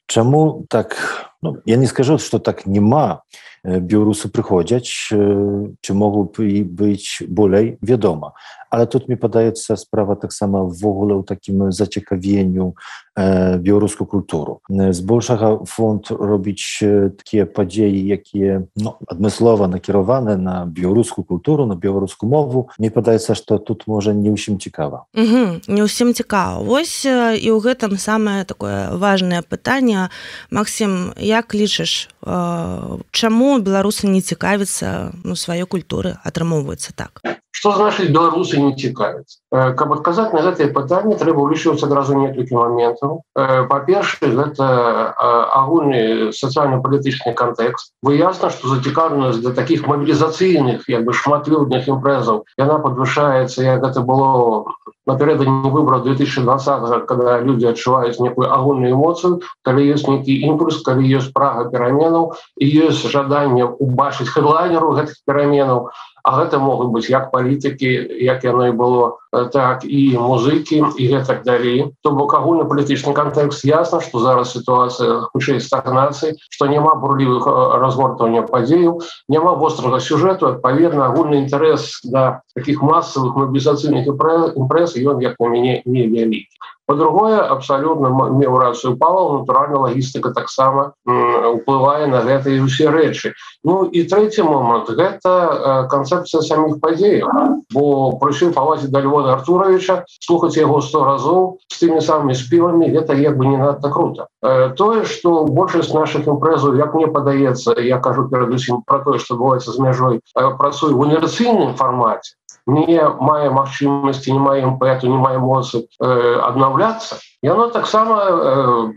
Чаму так, ну, я не скажу, што так нема, беларусы прыходзяць, ці могуць і быць болей, вядома. Але тут, мне падаецца, справа таксама ввогуле ў такім зацікавенню э, беларускую культуру. Збольшага фонд робіць такія падзеі, якія ну, адмыслова накіраваны на беларускую культуру, на беларускую мову. Мне падаецца, што тут можа не ўсім цікава. Угу, не ўсім цікава. Вось і ў гэтым самае такое важнае пытанне. Максім, як лічыш, э, чаму беларусы не цікавяцца ну, сваёй культуры, атрымоўваецца так? Што значыць беларусы не цікавяцца? Каб адказаць на гэтае пытанне, трэба ўлічваць адразу некалькі моментаў. Па-першае, гэта агульны сацыяльна-палітычны кантэкст. Выясна, што зацікаўленасць да такіх мабілізацыйных, як бы шматлюдных імпрэзаў, яна падвышаецца, як гэта было напярэдадні выбараў две тысячи двадцатого, когда людзі адчуваюць некую агульную эмоцыю, калі ёсць нейкі імпульс, калі ёсць прага пераменаў, і ёсць жаданне ўбачыць хэдлайнеру гэтых пераменаў. А гэта могуць быць як палітыкі, як яно і было, так і музыкі, і гэтак далей. То бок агульны палітычны кантэкст ясна, што зараз сітуацыя хутчэй стагнацыі, што няма бурлівых разгортвання падзеяў, няма вострага сюжэту, адпаведна, агульны інтарэс да такіх масавых мабілізацыйных імпрэз, ён, як на мяне, невялікі. По-другое, абсолютно меў рацыю Павел, натуральна, лагістыка таксама уплывае на гэтыя ўсе рэчы. Ну і трэці момант, гэта канцэпцыя саміх падзеяў. Бо прыйшоў павазіць да Львона Артуровича, слухаць яго сто разоў з тымі самымі спевамі, гэта як бы не надта круто. Тое, што большасць нашых імпрэзаў, як мне падаецца, я кажу перадусім пра тое, што адбываецца з мяжой, працуе ў інерцыйным фармаце, не мае магчымасці, не мае імпэту, не мае моцы э, аднаўляцца, яно таксама э,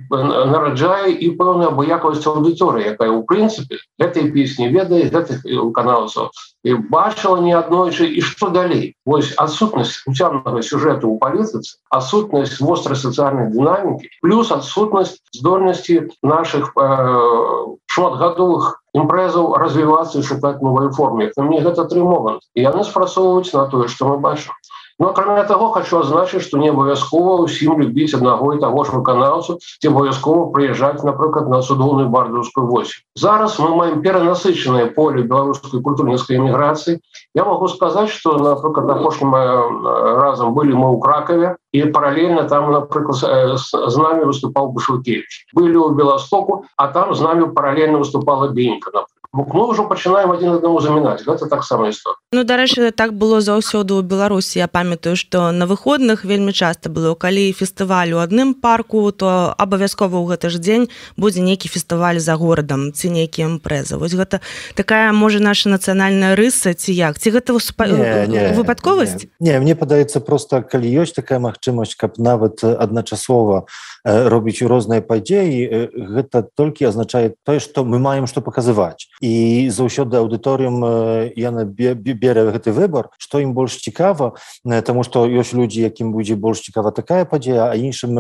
нараджае і пэўную абыякавасць аўдыторыі, якая ў прынцыпе гэтай песні ведае гэтых выканаўцаў і бачыла неаднойчы, і што далей. Вось адсутнасць уцямнага сюжэту ў палітыцы, адсутнасць вострай сацыяльнай дынамікі, плюс адсутнасць здольнасці нашых э, шматгадовых імпрэзаў развівацца і шукаць новай форме. Мне гэта тры моманты. І яны спрацоўваюць на тое, што мы бачым. Но акрамя таго, хочу азначыць, што не абавязкова ўсім любіць аднаго і таго ж выканаўцу, ці абавязкова прыязджаць, напрыклад, на цудоўную бардаўскую восень. Зараз мы маем перанасычанае поле беларускай культурніцкай эміграцыі. Я могу сказаць, што, напрыклад, апошнім разам былі мы ў Кракаве, і паралельна там, напрыклад, з намі выступаў Бушвыкевіч. Былі ў Беластоку, а там з намі паралельна выступала Бенька, напрыклад. Мы ўжо пачынаем адзін аднаму замінаць. Гэта таксама історыя. Ну, дарэчы, так было заўсёды ў Беларусі. Я памятаю, што на выходных вельмі часта было, калі фестываль у адным парку, то абавязкова ў гэты ж дзень будзе нейкі фестываль за горадам, ці нейкі імпрэза. Вось гэта такая, можа, наша нацыянальная рыса, ці як? Ці гэта выпадковасць? Не, не, мне падаецца проста, калі ёсць такая магчымасць, каб нават адначасова робіць розныя падзеі, гэта толькі азначае тое, што мы маем што паказываць. І заўсёды аўдыторыям яна бере гэты выбар, што ім больш цікава, таму што ёсць людзі, якім будзе больш цікава такая падзея, а іншым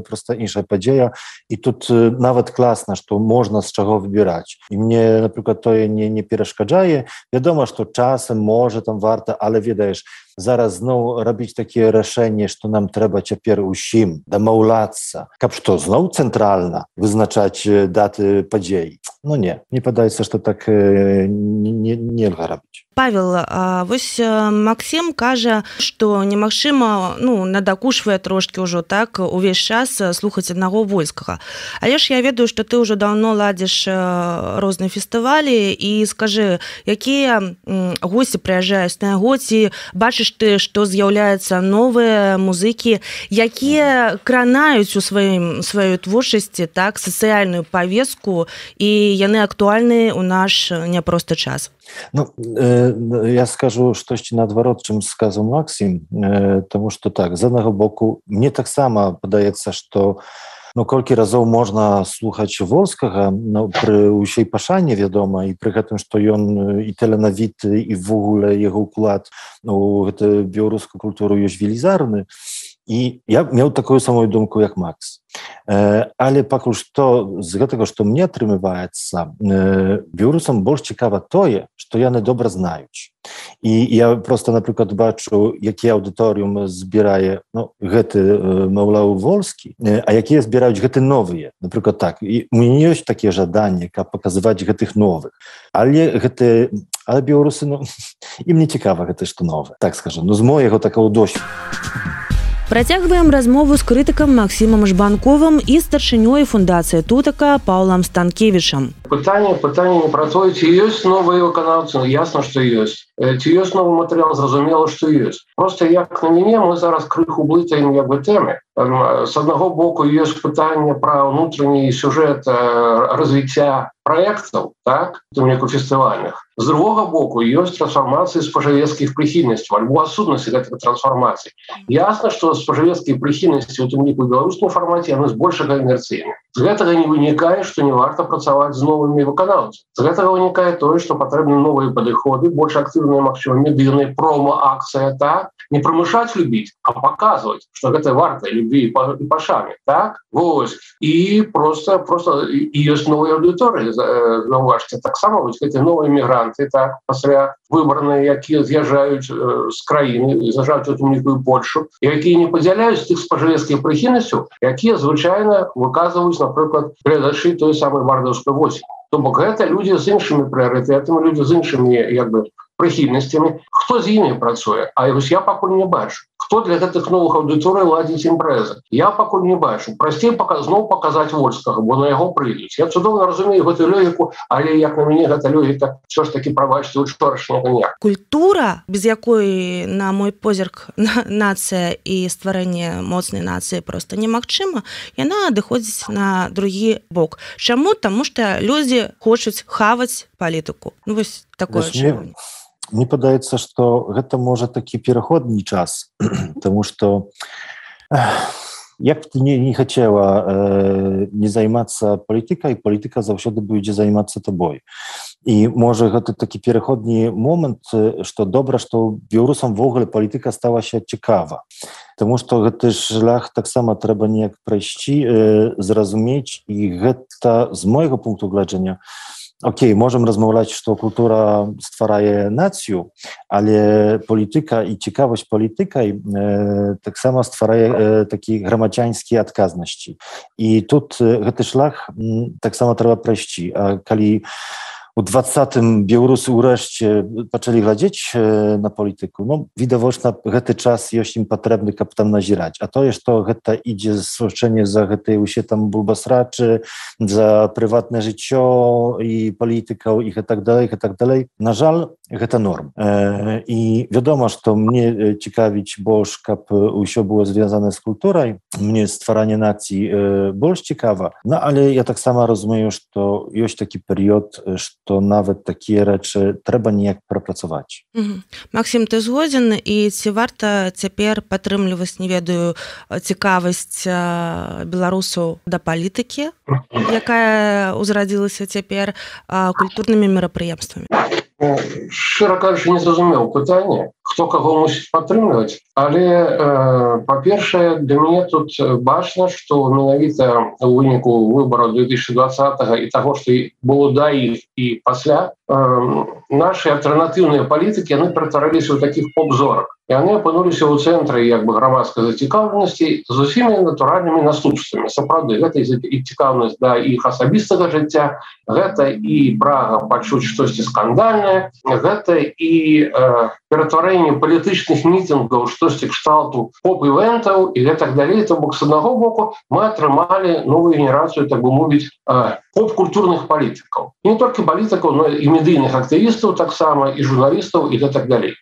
проста іншая падзея. І тут нават класна, што можна з чаго выбіраць. І мне, напрыклад, тое не, не перашкаджае. Вядома, што часам можа там варта, але ведаеш, зараз зноў рабіць такія рашэнні, што нам трэба цяпер усім дамаўляцца, каб што, зноў цэнтральна вызначаць даты падзей. Ну не, мне падаецца, што так нельга рабіць. Павел, вось Максім кажа, што немагчыма, ну, надакушвае трошкі ўжо так увесь час слухаць аднаго вольскага. Але ж я ведаю, што ты ўжо даўно ладзіш розныя фестывалі, і скажы, якія госці прыязджаюць на яго, ці бачыш бачыш ты, што з'яўляюцца новыя музыкі, якія кранаюць у сваім сваёй творчасці так сацыяльную павестку, і яны актуальныя ў наш няпросты час. Ну, э, я скажу штосьці наадварот, чым сказаў Максім, э, тому што так, з аднаго боку, мне таксама падаецца, што ну, колькі разоў можна слухаць Волскага, ну, пры ўсёй пашане, вядома, і пры гэтым, што ён і таленавіты, і ввогуле яго ўклад у гэту беларускую культуру ёсць велізарны. І я меў такую самую думку, як Макс. Э, але пакуль што з гэтага, што мне атрымліваецца, э, беларусам больш цікава тое, што яны добра знаюць. І я просто, напрыклад, бачу, які аўдыторыум збірае ну, гэты, э, маўляў, Волскі, э, а якія збіраюць гэты новыя. Напрыклад, так. І у мяне ёсць такія жаданні, каб паказваць гэтых новых. Але гэты, але беларусы, ну, ім не цікава гэта, што новае. Так скажам, ну, з моего такого досведу. Працягваем размову з крытыкам Максімам Жбанковым і старшынёй фундацыі Тутака Паўлам Станкевічам. Пытанне, пытанне не пра тое, ці ёсць новыя выканаўцы, ну, ясна, што ёсць. Ці ёсць новы матэрыял, зразумела, што ёсць. Просто як на мяне, мы зараз крыху блытаем як бы тэмы. З аднаго боку ёсць пытанне пра ўнутраны сюжэт развіцця праектаў, так, у ліку фестывальных. З другога боку ёсць трансфармацыі спажывецкіх прыхільнасцяў, альбо адсутнасці гэтых трансфармацый. Ясна, што спажывецкія прыхільнасці у тым ліку беларускім фармаце яны збольшага інерцыйны. З гэтага не вынікае, што не варта працаваць з новымі выканаўцамі. З гэтага вынікае тое, што патрэбны новыя падыходы, больш актыўныя, магчыма, медыйныя промо-акцыя, так, не прымушаць любіць, а паказваць, што гэта варта любві і пашаны, так? Вось. І просто просто і ёсць новыя аўдыторыі, заўважце, таксама вось гэтыя новыя мігранты, так, пасля выбарныя, якія з'язджаюць з краіны, з'язджаюць у тым ліку і Польшу, якія не падзяляюць тых спажывецкіх прыхільнасцяў, якія звычайна выказваюць, напрыклад, гледачы той самай вардаўскай восені. То бок гэта людзі з іншымі прыярытэтамі, людзі з іншымі як бы прыхільнасцямі. Хто з імі працуе? А вось я пакуль не бачу. Хто для гэтых новых аўдыторый ладзіць імпрэзы? Я пакуль не бачу. Прасцей зноў паказаць Вольскага, бо на яго прыйдуць. Я цудоўна разумею гэтую логіку, але як на мяне гэта логіка ўсё ж такі прабачце учорашняга дня. Культура, без якой, на мой позірк, нацыя і стварэнне моцнай нацыі проста немагчыма, яна адыходзіць на другі бок. Чаму? Таму што людзі хочуць хаваць палітыку. Ну вось такое адчуванне. Мне падаецца, што гэта можа такі пераходны час, таму што як б ты не, не хацела э, не займацца палітыкай, палітыка заўсёды будзе займацца табой. І можа гэта такі пераходны момант, што добра, што беларусам ввогуле палітыка сталася цікава. Таму што гэты шлях таксама трэба неяк прайсці, э, зразумець, і гэта з майго пункту гледжання. Окей, можам размаўляць, што культура стварае нацыю, але палітыка і цікавасць палітыкай э, таксама стварае э, такі грамадзянскія адказнасці. І тут э, гэты шлях э, таксама трэба прайсці. А калі у двадцатым беларусы ўрэшце пачалі глядзець на палітыку, ну, відавочна, гэты час ёсць ім патрэбны, каб там назіраць. А тое, што гэта ідзе свачэнне за гэтыя ўсе там бульбасрачы, за прыватнае жыццё і палітыкаў, і гэтак далей, гэтак далей, на жаль, гэта норм. Э, і вядома, што мне цікавіць больш, каб усё было звязана з культурай, мне стваранне нацыі э, больш цікава, ну, але я таксама разумею, што ёсць такі перыяд, што то нават такія рэчы трэба неяк прапрацаваць. Угу. Максім, ты згодзін, і ці варта цяпер падтрымліваць, не ведаю, цікавасць беларусаў да палітыкі, якая ўзрадзілася цяпер культурнымі мерапрыемствамі? Шчыра кажучы, не зразумеў пытанне, хто каго мусіць падтрымліваць, але, э, па-першае, для мяне тут бачна, што менавіта ў выніку выбараў две тысячи двадцатого і таго, што было да іх і пасля, э, нашы альтэрнатыўныя палітыкі, яны ператварыліся ў такіх поп-зорак. Яны апынуліся ў цэнтры як бы грамадскай зацікаўленасці з усімі натуральнымі наступствамі. Сапраўды, гэта і цікаўнасць да іх асабістага жыцця, гэта і прага пачуць штосьці скандальнае, гэта і э, ператварэнне палітычных мітынгаў, штосьці кшталту поп-івентаў і гэтак далей. То бок, з аднаго боку, мы атрымалі новую генерацыю, так бы мовіць, э, поп-культурных палітыкаў. І не толькі палітыкаў, но і медыйных актывістаў таксама, і журналістаў, і гэтак далей.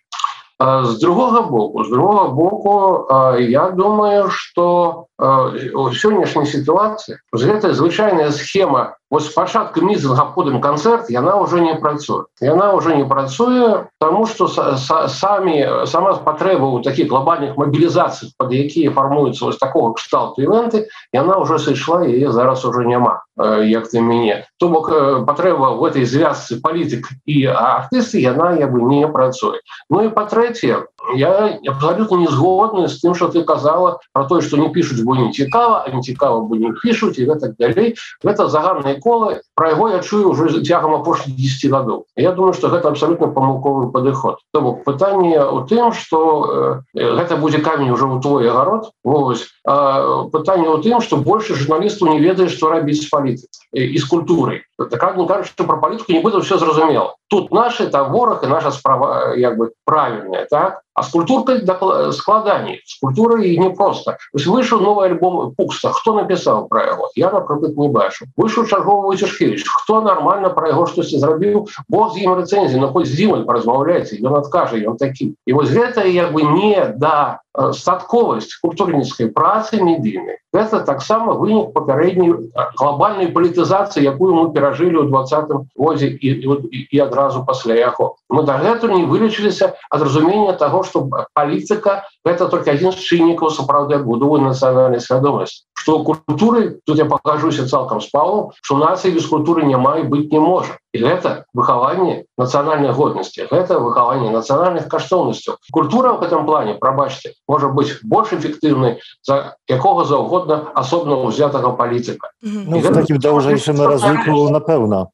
З другога боку, з другога боку, я думаю, што у сённяшняй сітуацыі гэтая звычайная схема вось спачатку мітынга, потым канцэрт, яна ўжо не працуе. Яна ўжо не працуе, таму што самі сама патрэба ў такіх глобальных мабілізацый, пад якія фармуюцца вось такога кшталту івенты, яна ўжо сышла, яе зараз ужо няма, як ты мяне. То бок патрэба в этой звязцы палітык і артысты, яна як бы не працуе. Ну і па-трэцяе, я абсолютно не згодны з тым, што ты казала про тое, што не пішуць, бо не цікава, а не цікава, бо не пішуць, і гэтак далей. Гэта заганнае кола, про яго я чую ўжо цягам апошніх дзесяці гадоў. Я думаю, што гэта абсолютно памылковы падыход. То бок пытанне ў тым, што э, гэта будзе камень ужо ў твой агарод. Вось. А пытанне ў тым, што больше журналістаў не ведае, што рабіць з палітыкай і з культурай. Так не кажуць, што пра палітыку не будзе ўсё зразумела. Тут нашы, там вораг і наша справа як бы правільная, так? А з культуркай складаней. З культурай не проста. Вось выйшаў новы альбом Пукса. Хто напісаў пра яго? Я, напрыклад, не бачу. Выйшаў чарговы Войцешкевіч. Хто нармальна пра яго штосьці зрабіў? Бог з ім рэцэнзіі, ну хоць з ім паразмаўляйце, ён адкажа, ён такі. І вось гэта як бы не да статковасць культурніцкай працы медыйнай. Гэта таксама вынік папярэдняй глобальнай палітызацыі, якую мы перажылі ў двадцатым годзе і, і, і адразу пасля яго. Мы дагэтуль не вылечыліся ад разумення таго, што палітыка гэта толькі адзін з чыннікаў сапраўднай будовы нацыянальнай свядомасці. Што культуры, тут я пакажуся цалкам з Паўлам, што нацыі без культуры няма і быць не можа. І гэта выхаванне нацыянальнай годнасці, гэта выхаванне нацыянальных каштоўнасцяў. Культура ў гэтым плане, прабачце, можа быць больш эфектыўнай за якога заўгодна асобна ўзятага палітыка. Ну, в такім даўжэйшым разліку, напэўна.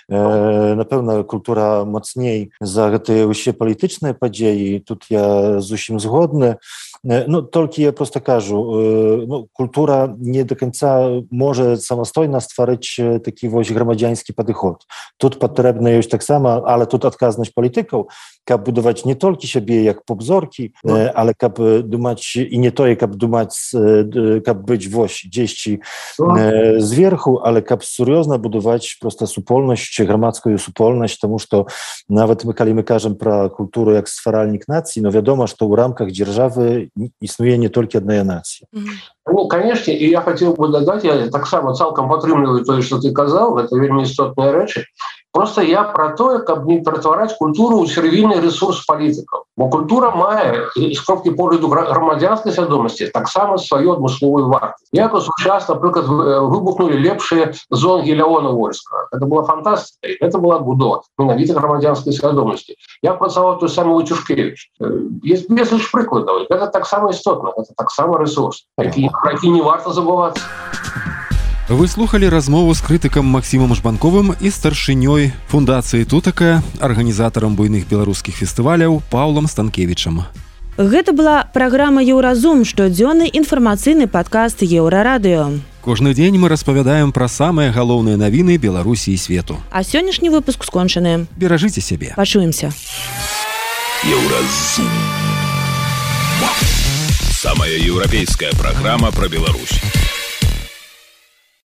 Э, напэўна, культура мацней за гэтыя ўсе палітычныя падзеі. Тут я зусім згодны. Ну, толькі я просто кажу, ну, культура не до конца може самостойно стварыць такі вось грамадзянскі падыход. Тут патрэбна ёсць таксама, але тут адказнасць палітыкаў, каб будаваць не толькі сябе як поп-зоркі, але каб думаць і не тое, каб думаць, каб быць вось дзесьці зверху, але каб сур'ёзна будаваць просто супольнасць, грамадскую супольнасць, таму што нават мы, калі мы кажам пра культуру як стваральнік нацыі, но вядома, што ў рамках дзяржавы існуе не толькі адная нацыя. Ну, конечно, і я хацеў бы дадаць, я таксама цалкам падтрымліваю тое, што ты казаў, гэта вельмі істотныя рэчы. Просто я про тое, каб не ператвараць культуру ў сервійны рэсурс палітыкаў. Бо культура мае, з кропкі погляду грамадзянскай свядомасці, таксама сваю адмысловую вартасць. Як у час, напрыклад, выбухнули лепшыя зонгі Леона Вольскага. Гэта была фантастыка, гэта была будова менавіта грамадзянскай свядомасці. Я працаваў той самы Войцешкевіч. Есть безліч прыкладаў. Гэта таксама істотна, гэта таксама рэсурс, про які не варта забывацца. Вы слухали размову з крытыкам Максімам Жбанковым і старшынёй фундацыі Тутака, арганізатарам буйных беларускіх фестываляў Паўлам Станкевічам. Гэта была праграма «Еўразум», штодзённы інфармацыйны падкаст Еўрарадыё. Кожны дзень мы распавядаем пра самыя галоўныя навіны Беларусі і свету. А сённяшні выпуск скончаны. Беражыце сябе. Пачуемся. Еўразум. Самая еўрапейская праграма пра Беларусь.